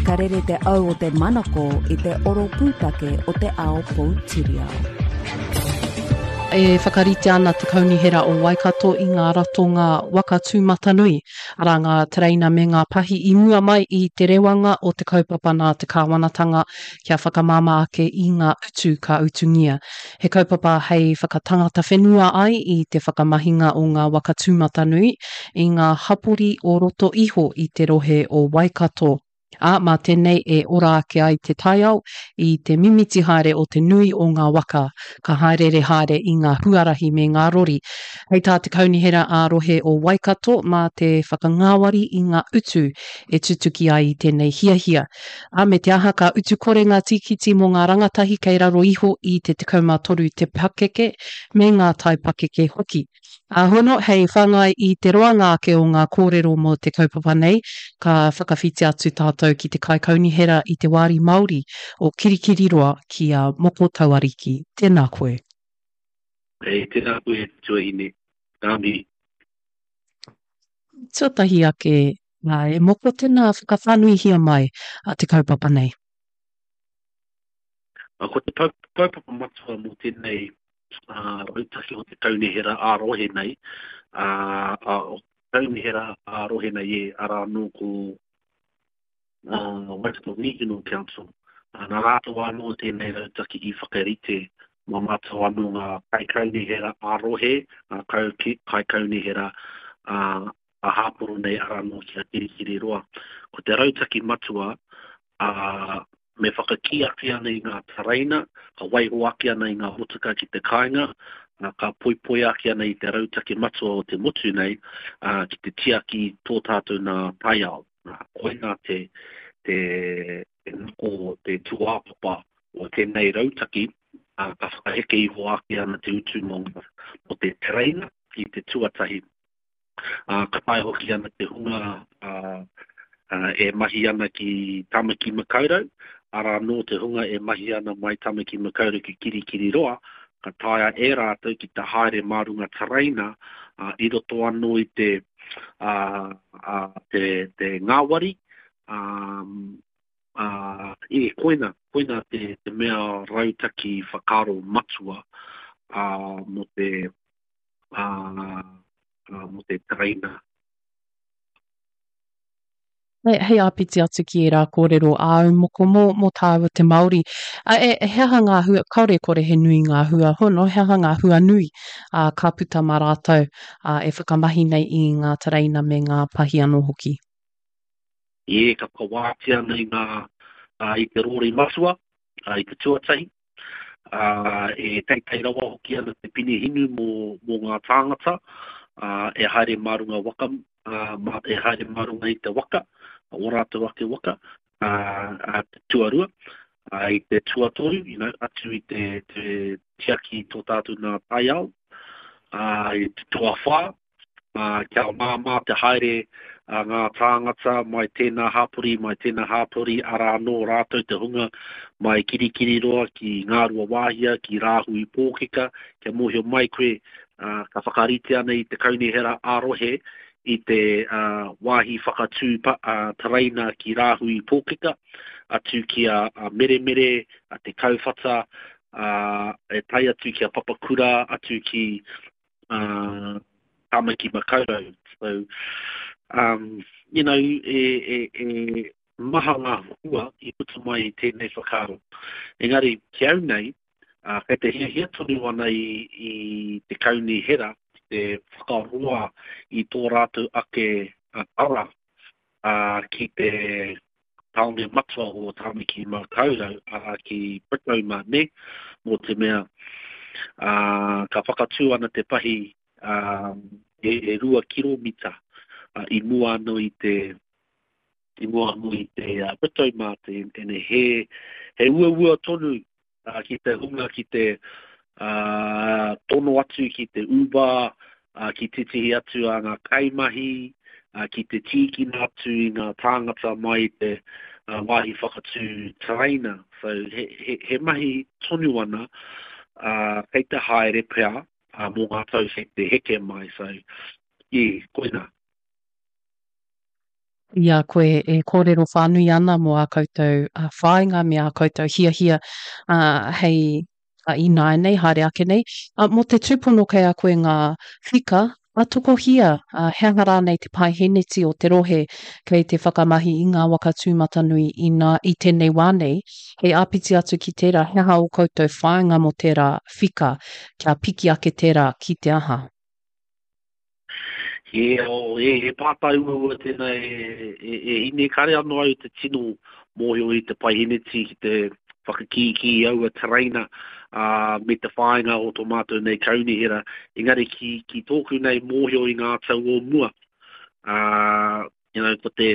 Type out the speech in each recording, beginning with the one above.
Ka rere te au o te manako i te oro pūtake o te ao poutiriao. E whakarite ana te Kaunihera o Waikato i ngā ratonga waka tūmatanui, arā ngā tereina me ngā pahi i mua mai i te rewanga o te kaupapa nā te kāwanatanga kia whakamāmā ake i ngā utu ka utungia. He kaupapa hei whakatangata whenua ai i te whakamahinga o ngā waka tūmatanui i ngā hapori o roto iho i te rohe o Waikato. Ā, mā tēnei e ora ake ai te taiao i te mimiti haere o te nui o ngā waka ka hāereere haere i ngā huarahi me ngā rori. Hei tā te Kaunihera ā-Rohe o Waikato, mā te whakangāwari i ngā utu e tutuki ai i tēnei hiahia. Ā, me te aha ka utu kore ngā tīkiti mō ngā rangatahi kei raro iho i te 13 te pakeke, me ngā taipakeke hoki. Ā, hono, hei whāngai i te roanga ake o ngā kōrero mō te kaupapa nei, ka whakawhiti atu tātou ki te Kaikaunihera i te Wāri Māori o Kirikiriroa ki a Moko Tauariki. Tēnā koe. Hei, tēnā koe e te tuahine. Ngā mihi. Tuatahi ake, Nā, e moko tēnā whakawhānuihia mai a te kaupapa nei. Ko te kaupapa matua mō tēnei rautaki o te kaunihera ā-rohe nei, kaunihera ā-rohe nei e, arā anō ko Waikato Regional Council. Nā rātou anō tēnei rautaki i whakarite mā mātou anō ngā kaikaunihera ā-rohe, ngā kaikaunihera a Hāporo nei arā anō ki a Kirikiriroa. Ko te rautaki matua, ā, me whakakī ake ana i ngā tereina, ka waiho ake ana i ngā motuka ki te kāinga, ā, ka poipoi ake ana i te rautaki matua o te motu nei, ā, ki te tiaki i tō tātou nā taiao. Nā, koinā te, te, te nako, te tūāpapa o tēnei rautaki, ā, ka whakaheke iho ake ana te utu mō, mō te tereina i te tuatahi. Ā, ka taea hoki ana te hunga e mahi ana ki Tāmaki Makaurau, arā anō te hunga e mahi ana mai Tāmaki Makaurau ki Kirikiriroa, ka taea e rātou ki te haere mā runga tereina i roto anō i te, te, te ngāwari, ā, ā, e, koina, koina te, te mea rautaki whakaaro matua, ā, mō te, ā, mō te tereina. Hei, hei āpiti atu ki ērā kōrero āu moko mō, mō tāua te Māori. A, e, he aha ngā hua, kāore e kore he nui ngā hua hono, he aha ngā hua nui ā, ka puta mā rātou ā, e whakamahi nei i ngā tereina me ngā pahi anō hoki? Ē, ka whakawātea nei ngā, ā, i te rōri matua, ā, i te tuatahi, ā, e teitei rawa hoki ana te pine hinu mō, mō ngā tāngata, ā, e haere mā runga waka, ā, mā, e haere mā runga i te waka, ō rātou ake waka, ā, ā, te tuarua, ā, i te tuatoru, you know, atu i te, te tiaki i tō tātou nā taiao, ā, i te tuawhā, ā, kia māmā te haere a ngā tāngata mai tēnā hapori, mai tēnā hapori, arā anō rātou te hunga mai Kirikiriroa ki Ngāruawāhia, ki Rāhui Pōkeka, kia mōhio mai koe, ā, ka whakarite ana i te kaunihera ā-rohe i te ā, wāhi whakatū pa, ā, tereina ki Rāhui Pōkeka, atu ki a, a Meremere, a Te Kauwhata, ā, e tae atu ki a Papakura, atu ki uh, Tāmaki Makaurau. So, um, you know, e, e, e maha ngā hua i puta mai i tēnei whakaaro. Engari, ki au nei, uh, kei te hiahia tonu ana i, i te kaunihera te whakaroa i tō rātou ake uh, ara uh, ki te tāone matua o Tāmaki Makaurau, arā ki Britomart, nē, mō te mea, ā, ka whakatū ana te pahi, ā, e, e rua kiromita, ā, i mua anō i te, i mua anō i te uh, Britomart, e, e, he, he uaua tonu ā, ki te hunga ki te, ā, tono atu ki te Uber, ā, ki tētehi atu a ngā kaimahi, ā, ki te tīkina atu i ngā tāngata mai i te ā, wāhi whakatū tereina. So, he, he, he mahi tonu ana, ā, kei te haere pea, ā, mō ngā tau kei te heke mai. So, yeah, koinā. I a koe e kōrero whānui ana mō ā koutou whāinga me ā koutou hiahia hei ināianei, haere ake nei, mō te tūpono kei a koe ngā whika, a tokohia, he aha rānei te paeheneti o te rohe kei te whakamahi i ngā waka tūmatanui inā, i tēnei wā nei, hei āpiti atu ki tērā, he aha ō koutou whāinga mō tērā whika, kia piki ake tērā ki te aha? He, oh, he, he pātai uaua tēnā e, e, e hine. Kare anō au te tino mōhio i te paiheneti ki te whakakīkī i aua tereina ā, me te whāinga o tō mātou nei kaunihera. Engari ki, ki tōku nei mōhio i ngā tau o mua, ā, you know, ko te,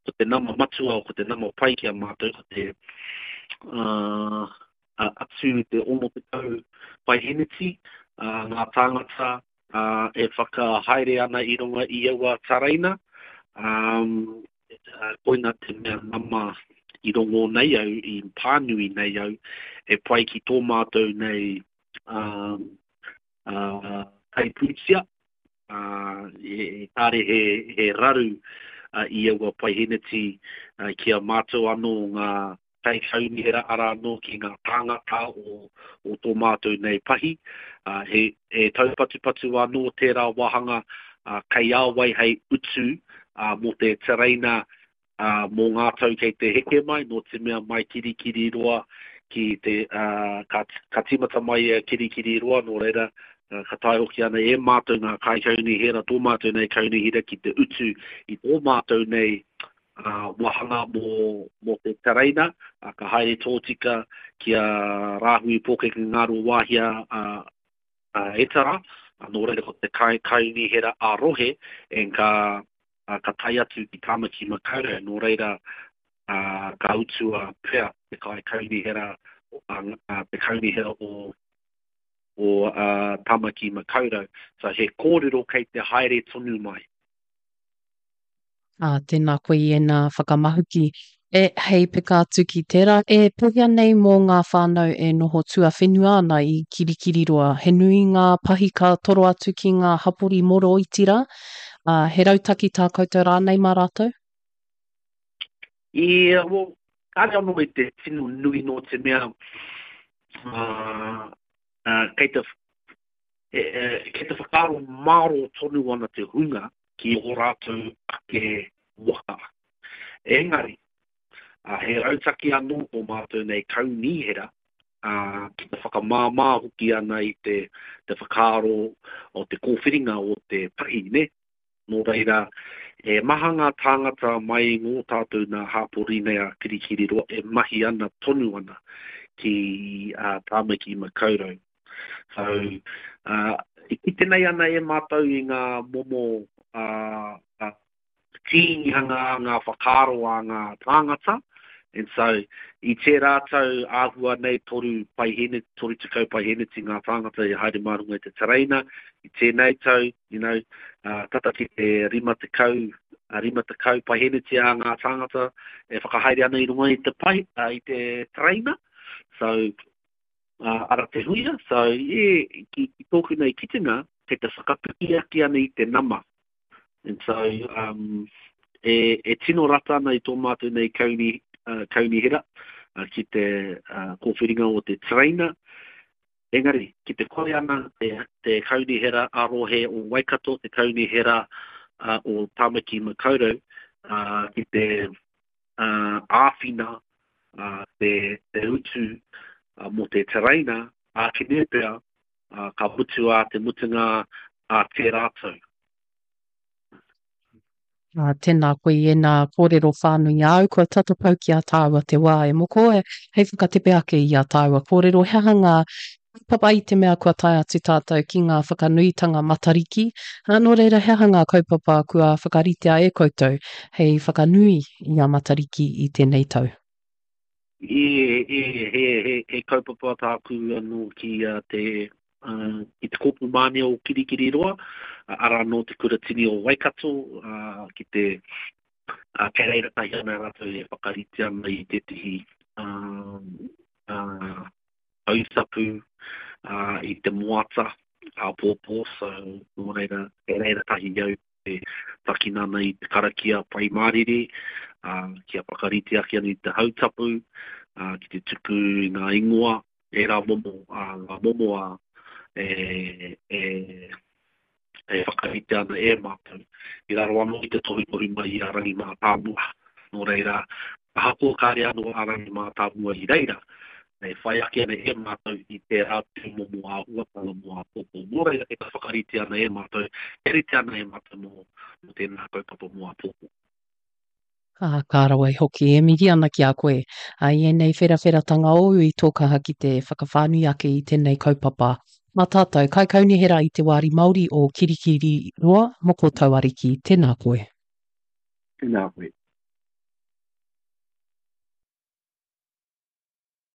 ko te nama matua, ko te nama pai ki a mātou, ko te, ā, atu i te 60 paiheneti, ā, ngā tāngata ā, e whakahaere ana i runga i aua tereina, ā, koina te mea nama i rongō nei au, i pānui nei au, e pai ki tō mātou nei ā, ā, kaipūtia, ā, e, kāre he, he raru i aua paiheneti ki a mātou anō ngā kaikaunihera arā anō ki ngā tāngata o, o tō mātou nei pahi. Uh, he, he taupatupatu anō tērā wāhanga uh, kei a wai hei utu uh, mō te tereina uh, mō ngā tau kei te heke mai, nō te mea mai Kirikiriroa ki te, uh, ka, ka tīmata mai a Kirikiriroa, nō reira, uh, ka tae hoki ana e mātou ngā kaikaunihera, tō mātou nei kaunihera ki te utu i tō mātou nei wāhanga mō, mō te tereina, ka haere tōtika ki a Rāhui Pōkeke Ngāruawāhia a, a Etara, nō reira ko te kai, kaunihera a rohe, and ka, ka tae atu ki Tāmaki Makaurau, nō reira a, ka utua pea te kai kaunihera, a, a, te kaunihera o, o a, Tāmaki Makaurau. So he kōrero kei te haere tonu mai. Ā, tēnā koe i ēnā whakamahuki. E, hei peka atu ki tērā, e pēhea nei mō ngā whānau e noho tuawhenua ana i Kirikiriroa? He nui ngā pahi ka toro atu ki ngā hapori moroiti rā? Ā, he rautaki tā koutou rānei mā rātou? Ia, well, kāre anō i te tino nui nō te mea, ā, ā, kei te, e, e, kei te whakaaro mārō tonu ana te hunga ki ō rātou ake waka. Engari, he rautaki anō tō mātou nei kaunihera ki te whakamāmā hoki ana i te, te whakaaro o te kōwhiringa o te pahi, nē? Nō reira, he maha ngā tāngata mai i ngō tātou nā hāpori nei a Kirikiriroa e mahi ana tonu ana ki Tāmaki Makaurau. So, uh, i kite nei ana e mātou i ngā momo uh, uh, tīnihanga a ngā whakaaro a ngā tāngata. And so, i tērā tau āhua nei toru paihene, 30 paiheneti ngā tāngata i haere mā runga i te tereina. I tēnei tau, you know, uh, tata ki te 50, uh, 50 paiheneti a ngā tāngata e whakahaere ana i runga i te, pai, uh, i te tereina. So, ara te huia, so yeah, ki, ki tōku nei kitenga, kei te whakapiki ake ana i te nama. And so, um, e, e tino rata ana i tō mātou nei kauni, uh, kaunihera uh, ki te uh, kōwhiringa o te tereina. Engari, ki te kore ana te, te kaunihera a rohe o Waikato, te kaunihera uh, o Tāmaki Makaurau, uh, ki te āwhina te, te utu mō te tereina, ākene pea ka mutu ā te mutunga ā tērā tau. Ā, tēnā koe i ēnā kōrero whānui āu, kua tata pau ki a tāua te wā e moko, e, hei whakatepe ake i a tāua kōrero, he aha ngā kaupapa i te mea kua tae atu tātou ki ngā whakanuitanga Matariki, ā, nō reira he aha ngā kaupapa kua whakaritea e koutou hei whakanui i a Matariki i tēnei tau? He, he, he, he, he kaupapa tāku anō ki uh, te, uh, ki te Kōpū Mānia o Kirikiriroa, uh, arā nō te Kuratini o Waikato, uh, ki te, uh, kei reira tahi ana rātou e whakarite ana i tētehi uh, uh, Hautapu i te moata āpōpō, so nō reira, kei reira tahi au. E takina ana i te karakia Pai Mārire, ā, kia whakarite ake ana i te hautapu, ā, ki te tuku i ngā ingoa, ērā momo, ā, ngā momo ā, e, e, e whakarite ana e mātou, i raro anō i te tohutohu mai i a Rangi Mātāmua. Nō reira, ahakoa kāre anō a Rangi Mātāmua i reira, e whai ake ana e mātou i tērā tūmomo āhuatanga mō āpōpō. Nō reira, e whakarite ana e mātou, e rite ana e mātou mō, mō tēnā kaupapa mō āpōpō. Ā, ka rawe hoki e mihi ana ki a koe. Ā, i ēnei wherawheratanga ōu i tō kaha ki te whakawhānui ake i tēnei kaupapa. Mā tātou, Kaikaunihera i te Wāri Māori o Kirikiriroa, Moko Tauariki, tēnā koe. Tēnā koe.